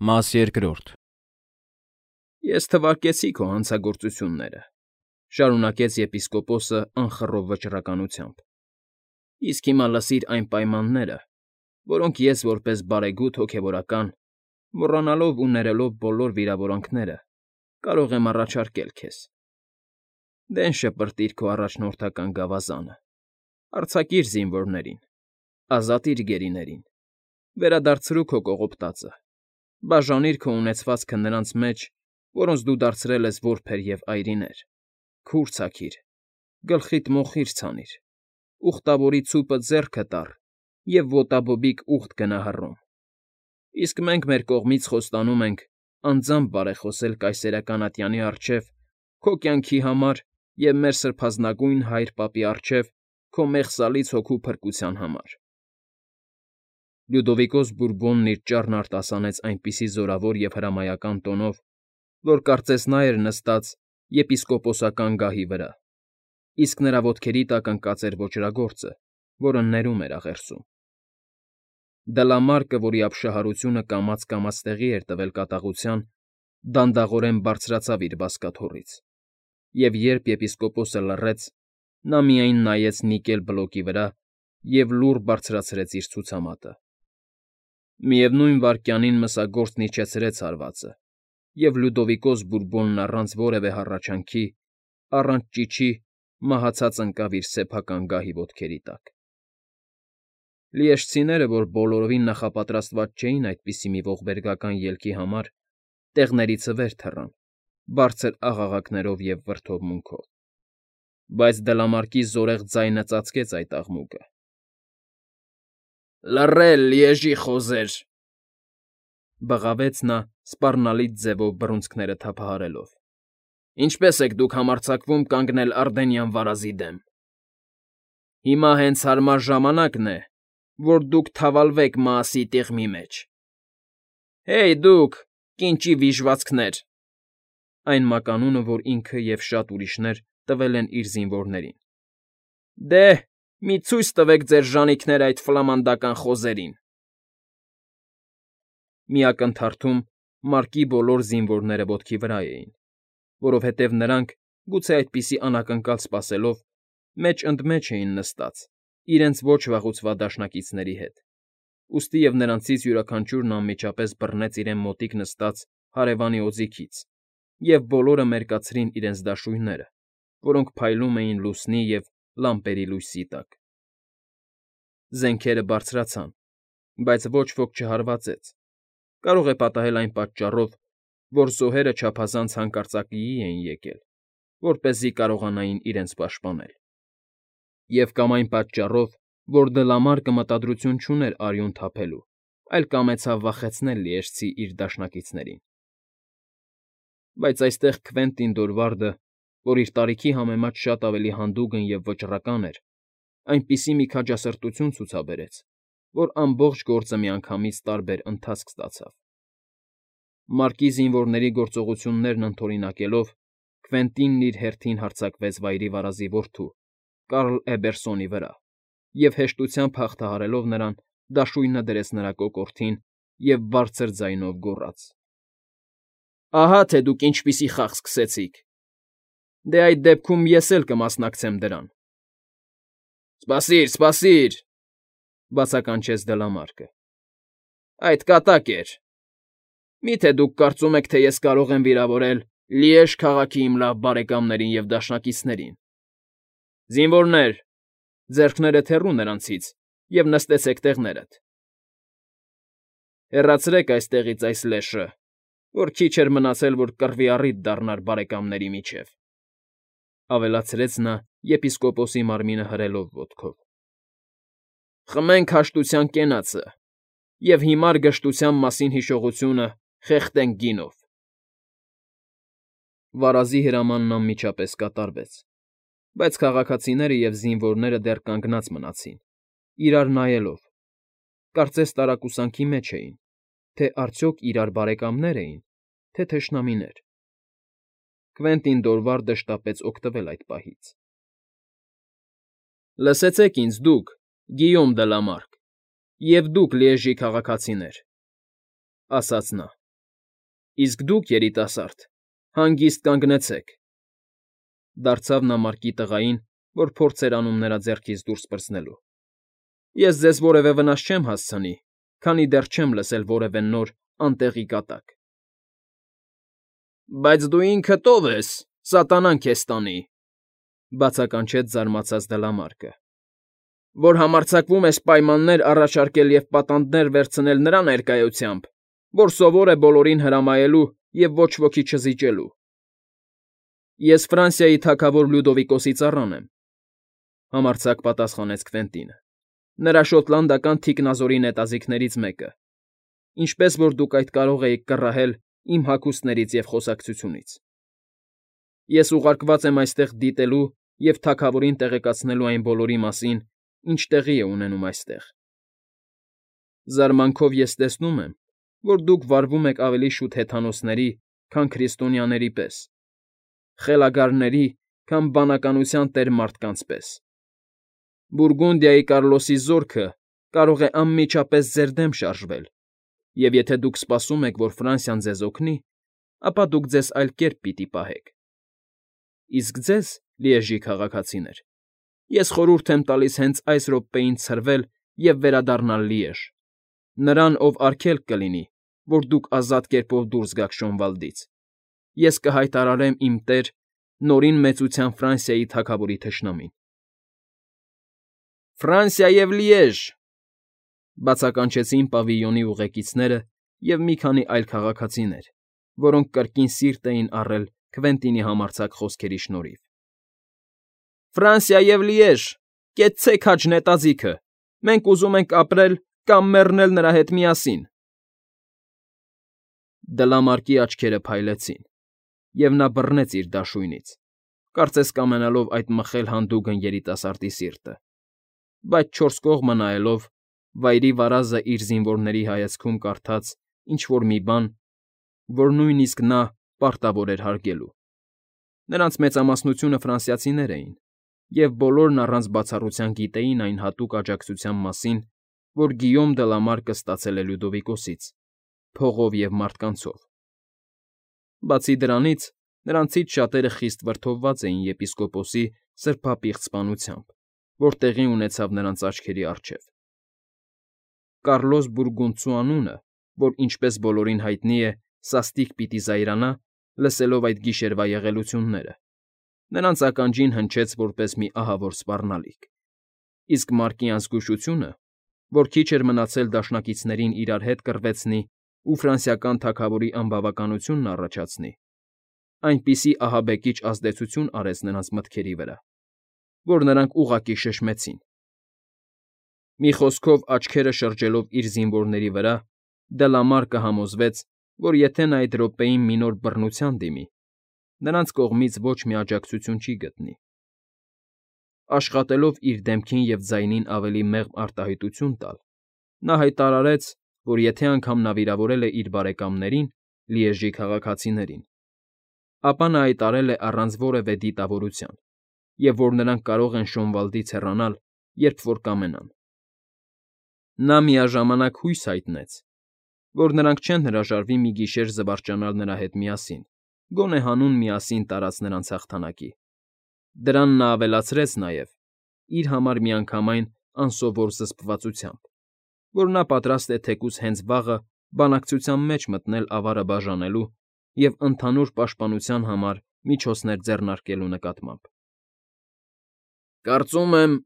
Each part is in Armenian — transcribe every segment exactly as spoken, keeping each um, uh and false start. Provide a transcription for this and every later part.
Մաս երկրորդ Ես թվարկեցի քո հանցագործությունները, շարունակեց եպիսկոպոսը անխռով վճռականությամբ, իսկ հիմա լսիր այն պայմանները, որոնք ես որպես բարեգութ հոգևորական, մոռանալով ու ներելով բոլոր վիրավորանքները, կարող եմ առաջարկել քեզ. դեն շպրտիր քո առաջնորդական գավազանը, արձակիր զինվորներին, ազատիր գերիներին, վերադարձրու քո կողոպտածը, բաժանիր քո ունեցվածքը նրանց մեջ, որոնց դու դարձրել ես որբեր և այրիներ, քուր ցաքիր, գլխիդ մոխիր ցանիր, ուխտավորի ցուպը ձեռքը տար և ոտաբոբիկ ուղտ գնա հռոմ, իսկ մենք մեր կողմից խոստանում ենք անձամբ բարեխոսել կայսերական ատյանի առջև քո կյանքի համար և մեր սրբազնագույն հայր պապի առջև քո մեղսալից հոգու փրկության համար… Լյուդովիկոս Բուրբոնն իր ճառն արտասանեց այնպիսի զորավոր և հրամայական տոնով, որ կարծես նա էր նստած եպիսկոպոսական գահի վրա, իսկ նրա ոտքերի տակ ընկած էր ոճրագործը, որը ներում էր աղերսում. Դլամարկը, որի ապշահարությունը կամաց֊կամաց տեղի էր տվել կատաղության, դանդաղորեն բարձրացավ իր բազկաթոռից, և երբ եպիսկոպոսը լռեց, նա միայն նայեց նիկել բլոկի վրա և լուռ բարձրացրեց իր ցուցամատը… Միևնույն վայրկյանին մսագործն իջեցրեց հարվածը, և Լյուդովիկոս Բուրբոնն առանց որևէ հառաչանքի, առանց ճիչի մահացած ընկավ իր սեփական գահի ոտքերի տակ… Լիեշցիները, որ բոլորովին նախապատրաստված չէին այդպիսի մի ողբերգական ելքի համար, տեղներից վեր թռան, բարձր աղաղակներով և վրդովմունքով, բայց Դլամարկի զորեղ ձայնը ծածկեց այդ աղմուկը. Լռել, լիեժի խոզեր,֊ բղավեց նա սպառնալից ձևով բռունցքները թափահարելով։֊ Ինչպե՞ս եք դուք համարձակվում կանգնել Արդենյան վարազի դեմ… Հիմա հենց հարմար ժամանակն է, որ դուք թավալվեք Մաասի տիղմի մեջ… Հեյ, դուք, կինճի վիժվածքներ… (այն մականունը, որ ինքը և շատ ուրիշներ տվել են իր զինվորներին)։ Դե, մի ցույց տվեք ձեր ժանիքները այդ ֆլամանդական խոզերին… Մի ակնթարթում Մարկի բոլոր զինվորները ոտքի վրա էին, որովհետև նրանք, գուցե այդպիսի անակնկալ սպասելով, մեջ ընդ մեջ էին նստած իրենց ոչ վաղուցվա դաշնակիցների հետ, ուստի և նրանցից յուրաքանչյուրն անմիջապես բռնեց իրեն մոտիկ նստած հարևանի օձիքից և բոլորը մերկացրին իրենց դաշույնները, որոնք փայլում էին լուսնի և լամպերի լույսի տակ… Զենքերը բարձրացան, բայց ոչ ոք չհարվածեց, կարող է պատահել այն պատճառով, որ զոհերը չափազանց հանկարծակիի էին եկել, որպեսզի կարողանային իրենց պաշտպանել, և կամ այն պատճառով, որ Դլամարկը մտադրություն չուներ արյուն թափելու, այլ կամեցավ վախեցնել լիեժցի իր դաշնակիցներին… Բայց այստեղ Քվենտին Դորվարդը, որ իր տարիքի համեմատ շատ ավելի հանդուգն և վճռական էր, այնպիսի մի քաջասրտություն ցուցաբերեց, որ ամբողջ գործը միանգամից տարբեր ընթացք ստացավ… Մարկի զինվորների գործողություններն ընդօրինակելով, Քվենտինն իր հերթին հարձակվեց Վայրի վարազի որդու՝ Կարլ Էբերսոնի վրա և հեշտությամբ հաղթահարելով նրան, դաշույնը դրեց նրա կոկորդին և բարձր ձայնով գոռաց. Ահա թե դուք ինչպիսի խաղ սկսեցիք… Դե, այդ դեպքում ես էլ կմասնակցեմ դրան… Սպասիր, սպասիր,֊ բացականչեց Դլամարկը։֊ Այդ կատակ էր… Մի՞թե դուք կարծում եք, թե ես կարող եմ վիրավորել Լիեժ քաղաքի իմ լավ բարեկամներին և դաշնակիցներին… Զինվորներ, ձեռքներդ հեռու նրանցից և նստեցեք տեղներդ… Հեռացրեք այստեղից այս լեշը, որ քիչ էր մնացել, որ կռվի առիթ դառնար բարեկամների միջև,֊ ավելացրեց նա եպիսկոպոսի մարմինը հրելով ոտքով։֊ Խմենք հաշտության կենացը և հիմար գժտության մասին հիշողությունը խեղդենք գինով… Վարազի հրամանն անմիջապես կատարվեց, բայց քաղաքացիները և զինվորները դեռ կանգնած մնացին, իրար նայելով, կարծես տարակուսանքի մեջ էին, թե արդյոք իրար բարեկամնե՞ր էին, թե թշնամիներ… Քվենտին Դորվարդը շտապեց օգտվել այդ պահից։ ֊ Լսեցեք ինձ, դուք, Գիյոմ Դլամարկ, և դուք, Լիեժի քաղաքացիներ,֊ ասաց նա։ Իսկ դուք, երիտասարդ, հանգիստ կանգնեցեք,֊ դարձավ նա Մարկի տղային, որ փորձ էր անում նրա ձեռքից դուրս պրծնելու։֊ Ես ձեզ որևէ վնաս չեմ հասցնի, քանի դեռ չեմ լսել որևէ նոր, անտեղի կատակ։ ֊ Բայց դու ինքդ ո՞վ ես, սատանան քեզ տանի,֊ բացականչեց զարմացած դլամարկը,֊ որ համարձակվում ես պայմաններ առաջարկել և պատանդներ վերցնել նրա ներկայությամբ, որ սովոր է բոլորին հրամայելու և ոչ ոքի չզիջելու։ ֊ Ես Ֆրանսիայի թագավոր Լյուդովիկոսի ծառան եմ,֊ համարձակ պատասխանեց Քվենտինը,֊ նրա շոտլանդական թիկնազորի նետաձիգներից մեկը, ինչպես որ դուք այդ կարող էիք կռահել իմ հագուստներից և խոսակցությունից։ Ես ուղարկված եմ այստեղ դիտելու և թագավորին տեղեկացնելու այն բոլորի մասին, ինչ տեղի է ունենում այստեղ։ Զարմանքով ես տեսնում եմ, որ դուք վարվում եք ավելի շուտ հեթանոսների, քան քրիստոնյաների պես, խելագարների, քան բանականության տեր մարդկանց պես։ Բուրգունդիայի Կարլոսի զորքը կարող է անմիջապես ձեր դեմ շարժվել, և եթե դուք սպասում եք, որ Ֆրանսիան ձեզ օգնի, ապա դուք ձեզ այլ կերպ պիտի պահեք։ Իսկ ձեզ, Լիեժի քաղաքացիներ, ես խորհուրդ եմ տալիս հենց այս րոպեին ցրվել և վերադառնալ Լիեժ, նրան, ով արգելք կլինի, որ դուք ազատ կերպով դուրս գաք Շոնվալդից, ես կհայտարարեմ իմ տեր, Նորին Մեծության Ֆրանսիայի թագավորի թշնամին։ ֊ Ֆրանսիա և Լիեժ,֊ բացականչեցին պավիլիոնի ուղեկիցները և մի քանի այլ քաղաքացիներ, որոնք կրկին սիրտ էին առել Քվենտինի համարձակ խոսքերի շնորհիվ։ ֊ Ֆրանսիա և Լիեժ, կեցցեք քաջ նետաձիգը, մենք ուզում ենք ապրել կամ մեռնել նրա հետ միասին… Դլամարկի աչքերը փայլեցին, և նա բռնեց իր դաշույնից, կարծես կամենալով այդ մխել հանդուգն երիտասարդի սիրտը, բայց չորս կողմը նայելով, վայրի վարազը իր զինվորների հայացքում կարդաց ինչ֊որ մի բան, որ նույնիսկ նա պարտավոր էր հարգելու։ Նրանց մեծամասնությունը ֆրանսիացիներ էին, և բոլորն առանց բացառության գիտեին այն հատուկ աջակցության մասին, որ Գիյոմ Դլամարկը ստացել է Լյուդովիկոսից՝ փողով և մարդկանցով։ Բացի դրանից, նրանցից շատերը խիստ վրդովված էին եպիսկոպոսի սրբապիղծ սպանությամբ, որ տեղի ունեցավ նրանց աչքերի առջև։ Կարլոս Բուրգունդցու անունը, որ, ինչպես բոլորին հայտնի է, սաստիկ պիտի զայրանա, լսելով այդ գիշերվա եղելությունները, նրանց ականջին հնչեց որպես մի ահավոր սպառնալիք, իսկ Մարկի անզգուշությունը, որ քիչ էր մնացել դաշնակիցներին իրար հետ կռվեցնի ու ֆրանսիական թագավորի անբավականությունն առաջացնի, այնպիսի ահաբեկիչ ազդեցություն արեց նրանց մտքերի վրա, որ նրանք ուղղակի շշմեցին։ Մի խոսքով, աչքերը շրջելով իր զինվորների վրա, Դլամարկը համոզվեց, որ եթե նա այդ րոպեին մի նոր բռնության դիմի, նրանց կողմից ոչ մի աջակցություն չի գտնի։ Աշխատելով իր դեմքին և ձայնին ավելի մեղմ արտահայտություն տալ, նա հայտարարեց, որ եթե անգամ նա վիրավորել է իր բարեկամներին՝ Լիեժի քաղաքացիներին, ապա նա այդ արել է առանց որևէ դիտավորության, և որ նրանք կարող են Շոնվալդից հեռանալ, երբ որ կամենան։ Նա միաժամանակ հույս հայտնեց, որ նրանք չեն հրաժարվի մի գիշեր զվարճանալ նրա հետ միասին, գոնե հանուն միասին տարած նրանց հաղթանակի։ Դրան նա ավելացրեց նաև, իր համար միանգամայն անսովոր զսպվածությամբ, որ նա պատրաստ է թեկուզ հենց վաղը բանակցության մեջ մտնել ավարը բաժանելու և ընդհանուր պաշտպանության համար միջոցներ ձեռնարկելու նկատմամբ։ ֊ Կարծում եմ,֊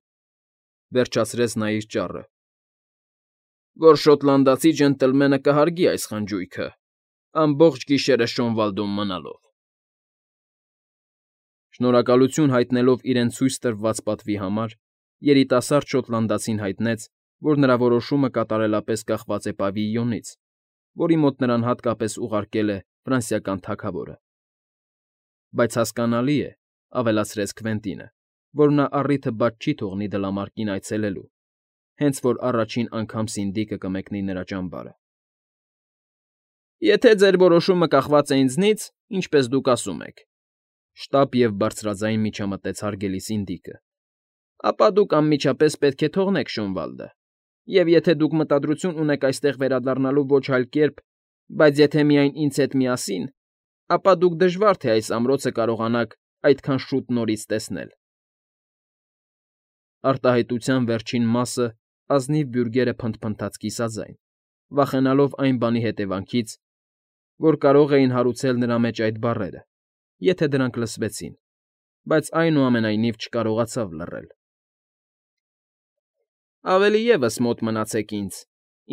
վերջացրեց նա իր ճառը,֊ որ շոտլանդացի ջենտլմենը կհարգի այս խնջույքը՝ ամբողջ գիշերը Շոնվալդում մնալով։ Շնորհակալություն հայտնելով իրեն ցույց տրված պատվի համար, երիտասարդ շոտլանդացին հայտնեց, որ նրա որոշումը կատարելապես կախված է պավիլիոնից, որի մոտ նրան հատկապես ուղարկել է ֆրանսիական թագավորը։ Բայց հասկանալի է, ավելացրեց Քվենտինը, որ նա առիթը բաց չի թողնի Դլամարկին այցելելու, հենց որ առաջին անգամ սինդիկը կմեկնի նրա ճամբարը։ ֊ Եթե ձեր որոշումը կախված է ինձնից, ինչպես դուք ասում եք,֊ շտապ և բարձրաձայն միջամտեց հարգելի սինդիկը,֊ ապա դուք անմիջապես պետք է թողնեք Շոնվալդը, և եթե դուք մտադրություն ունեք այստեղ վերադառնալու ոչ այլ կերպ, Բայց եթե միայն ինձ հետ միասին, ապա դուք դժվար թե այս ամրոցը կարողանաք այդքան շուտ նորից տեսնել… Արտահայտության վերջին մասը ազնիվ բյուրգերը փնթփնթաց կիսաձայն, վախենալով այն բանի հետևանքից, որ կարող էին հարուցել նրա մեջ այդ բառերը, եթե դրանք լսվեցին, բայց այնուամենայնիվ չկարողացավ լռել։ ֊ Ավելի ևս մոտ մնացեք ինձ,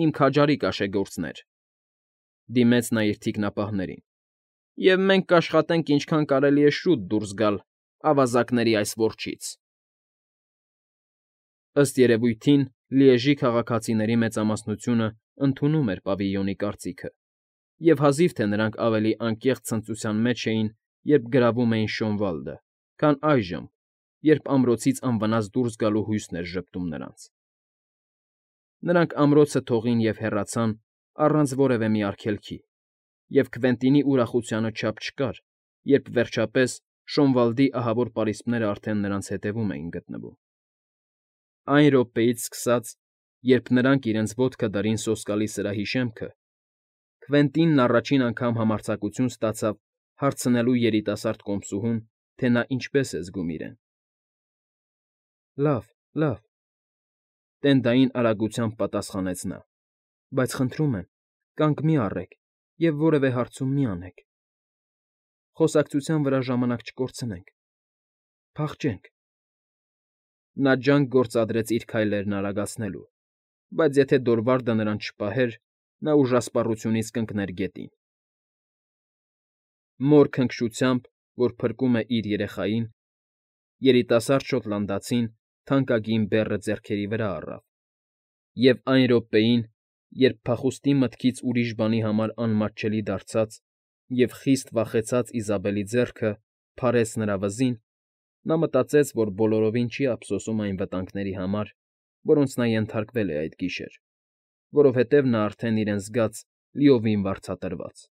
իմ քաջարի կաշեգործներ,֊ դիմեց նա իր թիկնապահներին,֊ և մենք կաշխատենք ինչքան կարելի է շուտ դուրս գալ ավազակների այս որջից… Ըստ երևույթին Լիեժի քաղաքացիների մեծամասնությունն ընդունում էր պավիլյոնի կարծիքը, և հազիվ թե նրանք ավելի անկեղծ ցնծության մեջ էին, երբ գրավում էին Շոնվալդը, քան այժմ, երբ ամրոցից անվնաս դուրս գալու հույսն էր ժպտում նրանց… Նրանք ամրոցը թողին և հեռացան առանց որևէ մի արգելքի, և Քվենտինի ուրախությանը չափ չկար, երբ, վերջապես, Շոնվալդի ահավոր պարիսպներն արդեն նրանց հետևում էին գտնվում… Այն րոպեից սկսած, երբ նրանք իրենց ոտքը դրին սոսկալի սրահի շեմքը, Քվենտինն առաջին անգամ համարձակություն ստացավ հարցնելու երիտասարդ կոմսուհուն, թե նա ինչպես է զգում իրեն։ ֊ Լավ, լավ,֊ տենդային արագությամբ պատասխանեց նա,֊ բայց խնդրում եմ, կանգ մի առեք և որևէ հարցում մի անեք… Խոսակցության վրա ժամանակ չկորցնենք… Փախչենք… Նա ջանք գործադրեց իր քայլերն արագացնելու, բայց եթե Դորվալդը նրան չպահեր, նա ուժասպառությունից կընկներ գետին… Մոր քնքշությամբ, որ փրկում է իր երեխային, երիտասարդ շոտլանդացին թանկագին բեռը ձեռքերի վրա առավ, և այն րոպեին, երբ փախուստի մտքից ուրիշ բանի համար անմատչելի դարձած և խիստ վախեցած Իզաբելի ձեռքը փարեց նրա վզին, նա մտածեց, որ բոլորովին չի ափսոսում այն վտանգների համար, որոնց նա ենթարկվել է այդ գիշեր, որովհետև նա արդեն իրեն զգաց լիովին վարձատրված…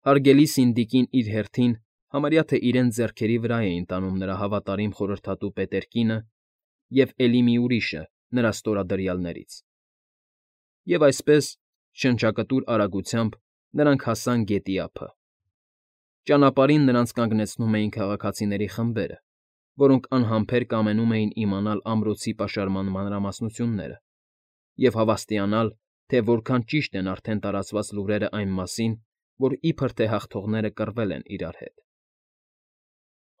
Հարգելի սինդիկին իր հերթին համարյա թե իրենց ձեռքերի վրա էին տանում նրա հավատարիմ խորհրդատու Պետերկինը և էլի մի ուրիշը նրա ստորադրյալներից… Եվ այսպես, շնչակտուր արագությամբ նրանք հասան գետի ափը… Ճանապարհին նրանց կանգնեցնում էին քաղաքացիների խմբերը, որոնք անհամբեր կամենում էին իմանալ ամրոցի պաշարման մանրամասնությունները և հավաստիանալ, թե որքան ճիշտ են արդեն տարածված լուրերն այն մասին, որ իբր թե հաղթողները կռվել են իրար հետ…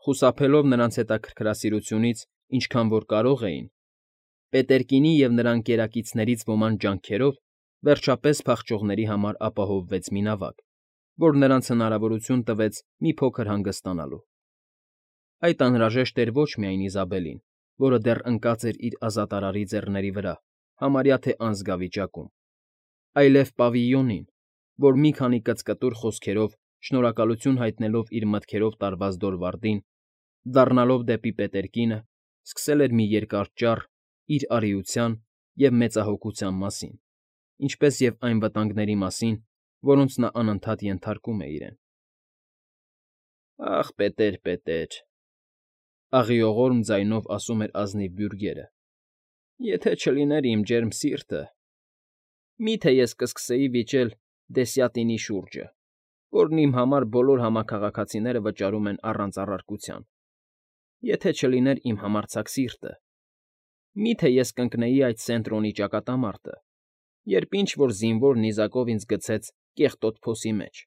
Խուսափելով նրանց հետաքրքրասիրությունից ինչքան որ կարող էին, Պետերկինի և նրա ընկերակիցներից ոմանց ջանքերով վերջապես փախչողների համար ապահովվեց մի նավակ, որ նրանց հնարավորություն տվեց մի փոքր հանգստանալու… Այդ անհրաժեշտ էր ոչ միայն Իզաբելին, որը դեռ ընկած էր իր ազատարարի ձեռների վրա համարյա թե անզգա վիճակում, այլև պավիլյոնին, որ մի քանի կծկտուր խոսքերով շնորհակալություն հայտնելով իր մտքերով տարված Դորվալդին, դառնալով դեպի Պետերկինը, սկսել էր մի երկար ճառ իր արիության և մեծահոգության մասին, ինչպես և այն վտանգների մասին, որոնց նա անընդհատ ենթարկում է իրեն։ ֊ Ախ, Պետեր, Պետեր,֊ աղիողորմ ձայնով ասում էր ազնիվ բյուրգերը,֊ եթե չլիներ իմ ջերմ սիրտը… Մի՞թե ես կսկսեի վիճել դեսյատինի շուրջը, որն իմ համար բոլոր համաքաղաքացիները վճարում են առանց առարկության… Եթե չլիներ իմ համարձակ սիրտը… Մի՞թե ես կընկնեի այդ Սենտրոնի ճակատամարտը, երբ ինչ֊որ զինվոր նիզակով ինձ գցեց կեղտոտ փոսի մեջ,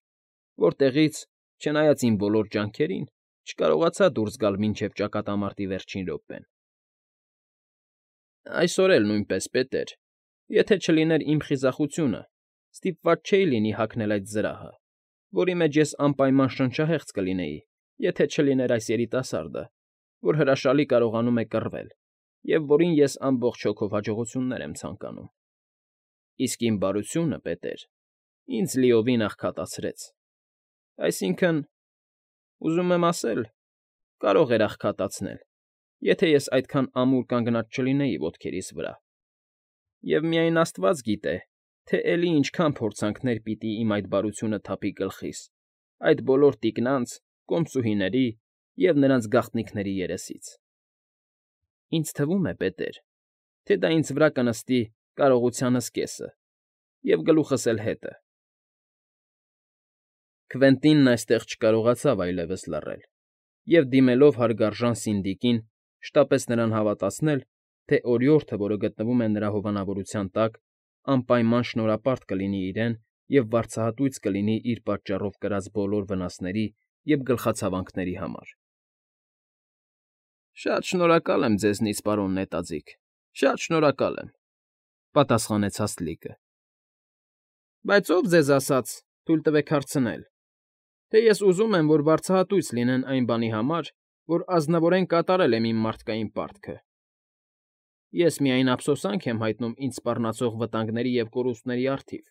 որտեղից, չնայած իմ բոլոր ջանքերին, չկարողացա դուրս գալ մինչև ճակատամարտի վերջին րոպեն… Այսօր էլ նույնպես, Պետեր, եթե չլիներ իմ խիզախությունը, ստիպված չէի լինի հագնել այդ զրահը, որի մեջ ես անպայման շնչահեղձ կլինեի, եթե չլիներ այս երիտասարդը, որ հրաշալի կարողանում է կռվել և որին ես ամբողջ հոգով հաջողություններ եմ ցանկանում… Իսկ իմ բարությունը, Պետեր, ինձ լիովին աղքատացրեց… Այսինքն, ուզում եմ ասել, կարող էր աղքատացնել, եթե ես այդքան ամուր կանգնած չլինեի ոտքերիս վրա… Եվ միայն աստված գիտե, թե էլի ինչքան փորձանքներ պիտի իմ այդ բարությունը թափի գլխիս այդ բոլոր տիկնանց, կոմսուհիների և նրանց գաղտնիքների երեսից… Ինձ թվում է, Պետեր, թե դա ինձ վրա կնստի կարողությանս կեսը և գլուխս էլ հետը… Քվենտինն այստեղ չկարողացավ այլևս լռել և, դիմելով հարգարժան Սինդիկին, շտապեց նրան հավատացնել, թե օրիորդը, որը գտնվում է նրա հովանավորության տակ, անպայման շնորհապարտ կլինի իրեն և վարձահատույց կլինի իր պատճառով կրած բոլոր վնասների և գլխացավանքների համար։ ֊ Շատ շնորհակալ եմ ձեզնից, պարոն նետաձիգ, շատ շնորհակալ եմ,֊ պատասխանեց հաստլիկը։ ֊ Բայց ով ձեզ ասաց, թույլ տվեք հարցնել, թե ես ուզում եմ, որ վարձահատույց լինեն այն բանի համար, որ ազնվորեն կատարել եմ իմ մարդկային պարտքը։ Ես միայն ափսոսանք եմ հայտնում ինձ սպառնացող վտանգների և կորուստների առթիվ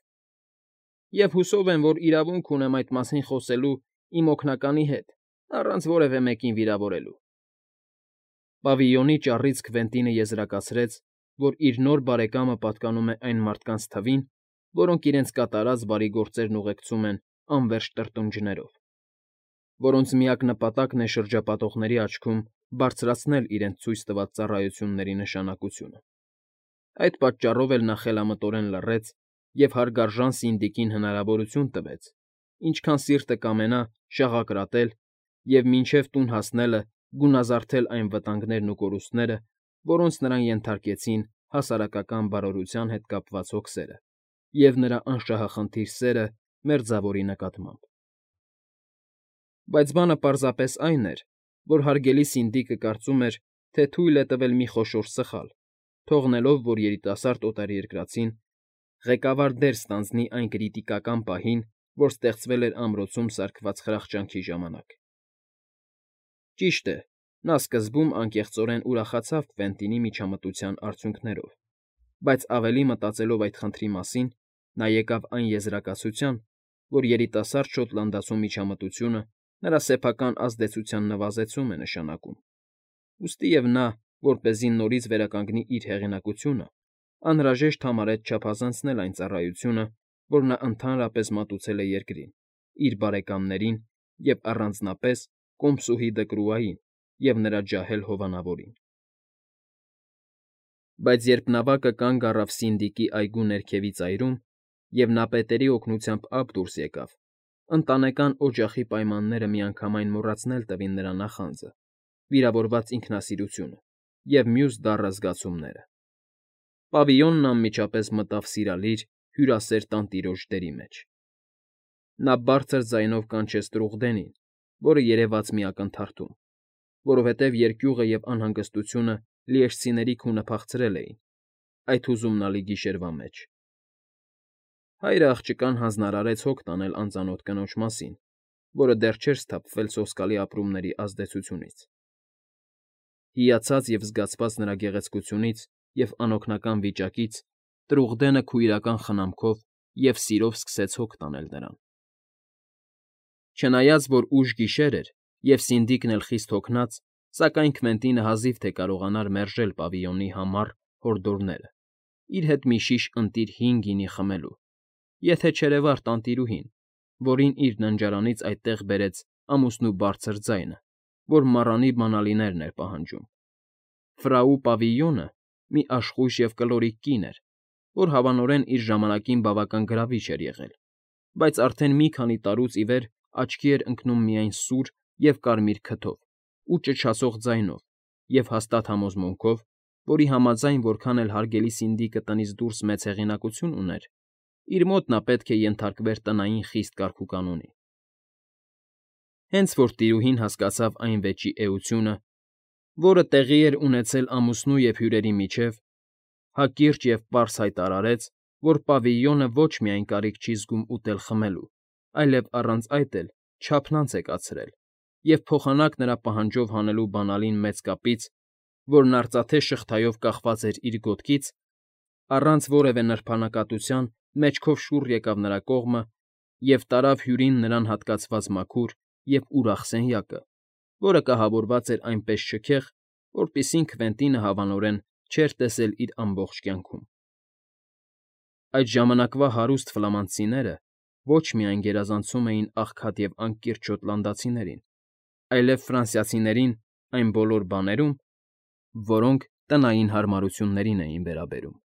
և հուսով եմ, որ իրավունք ունեմ այդ մասին խոսելու իմ օգնականի հետ, առանց որևէ մեկին վիրավորելու։ Պավիլյոնի ճառից Քվենտինը եզրակացրեց, որ իր նոր բարեկամը պատկանում է այն մարդկանց թվին, որոնք իրենց կատարած բարի գործերն ուղեկցում են անվերջ տրտնջներով, որոնց միակ նպատակն է շրջապատողների աչքում բարձրացնել իրենց ցույց տված ծառայությունների նշանակությունը։ Այդ պատճառով էլ նա խելամտորեն լռեց և հարգարժան Սինդիկին հնարավորություն տվեց, ինչքան սիրտը կամենա, շաղակրատել և մինչև տուն հասնելը գունազարդել այն վտանգներն ու կորուստները, որոնց նրան ենթարկեցին հասարակական բարօրության հետ կապված հոգսերը և նրա անշահախնդիր սերը մերձավորի նկատմամբ։ Բայց բանը պարզապես այն էր, որ հարգելի Սինդիկը կարծում էր, թե թույլ է տվել մի խոշոր սխալ, թողնելով, որ երիտասարդ օտարերկրացին ղեկավար դեր ստանձնի այն կրիտիկական պահին, որ ստեղծվել էր ամրոցում սարքված խրախճանքի ժամանակ։ Ճիշտ է, նա սկզբում անկեղծորեն ուրախացավ Քվենտինի միջամտության արդյունքներով, բայց ավելի մտածելով այդ խնդրի մասին, նա եկավ այն եզրակացության, որ երիտասարդ շոտլանդացու միջամտությունը նրա սեփական ազդեցության նվազեցում է նշանակում, ուստիև նա, որպեսզի նորից վերականգնի իր հեղինակությունը, անհրաժեշտ համարեց չափազանցնել այն ծառայությունը, որ նա ընդհանրապես մատուցել է երկրին, իր բարեկամներին և առանձնապես կոմսուհի Դկրուային և նրա ջահել հովանավորին։ Բայց երբ նավակը կանգ առավ Սինդիկի այգու ներքևի ծայրում, և նա պետերի օգնությամբ ափ դուրս եկավ, ընտանեկան օջախի պայմանները միանգամայն մոռացնել տվին նրա նախանձը, վիրավորված ինքնասիրությունը և մյուս դառը զգացումները։ Պավիլյոնն անմիջապես մտավ սիրալիր, հյուրասեր տանտիրոջ դերի մեջ։ Նա բարձր ձայնով կանչեց Տրուղդենին, որը երևաց մի ակնթարթում, որովհետև երկյուղը և անհանգստությունը լիեշցիների քունը փախցրել էին այդ հուզումնալի գիշերվա մեջ։ Հայրը աղջկան հանձնարարեց հոգ տանել անծանոթ կնոջ մասին, որը դեռ չէր սթափվել սոսկալի ապրումների ազդեցությունից։ Հիացած և զգացված նրա գեղեցկությունից և անօգնական վիճակից՝ Տրուղդենը քույրական խնամքով և սիրով սկսեց հոգ տանել նրան։ Չնայած որ ուշ գիշեր էր, և Սինդիկն էլ խիստ հոգնած, սակայն Քվենտինը հազիվ թե կարողանար մերժել պավիլյոնի համառ հորդորները՝ իր հետ մի շիշ ընտիր հին գինի խմելու, եթե չերևար տանտիրուհին, որին իր ննջարանից այդտեղ բերեց ամուսնու բարձր ձայնը, որ մառանի բանալիներն էր պահանջում։ Ֆրաու Պավիլյոնը մի աշխույժ և կլորիկ կին էր, որ հավանորեն իր ժամանակին բավական գրավիչ էր եղել, բայց արդեն մի քանի տարուց ի վեր աչքի էր ընկնում միայն սուր և կարմիր քթով ու ճչացող ձայնով և հաստատ համոզմունքով, որի համաձայն, որքան էլ հարգելի Սինդիկը տնից դուրս մեծ հեղինակություն ուներ, իր մոտ նա պետք է ենթարկվեր տնային խիստ կարգուկանոնի։ Հենց որ տիրուհին հասկացավ այն վեճի էությունը, որը տեղի էր ունեցել ամուսնու և հյուրերի միջև, հակիրճ և պարզ հայտարարեց, որ պավիլյոնը ոչ միայն կարիք չի զգում ուտել֊խմելու, այլև առանց այդ էլ չափնանց է կացրել և փոխանակ նրա պահանջով հանելու բանալին մեծ կապից, որն արծաթե շղթայով կախված էր իր գոտքից, առանց որևէ նրբանակատության մեջքով շուռ եկավ նրա կողմը և տարավ հյուրին նրան հատկացված մաքուր և ուրախ սենյակը, որը կահավորված էր այնպես շքեղ, որպիսին Քվենտինը հավանորեն չէր տեսել իր ամբողջ կյանքում։ Այդ ժամանակվա հարուստ ֆլամանդցիները ոչ միայն գերազանցում էին աղքատ և անկիրճ շոտլանդացիներին, այլև ֆրանսիացիներին այն բոլոր բաներում, որոնք տնային հարմարություններին էին վերաբերում։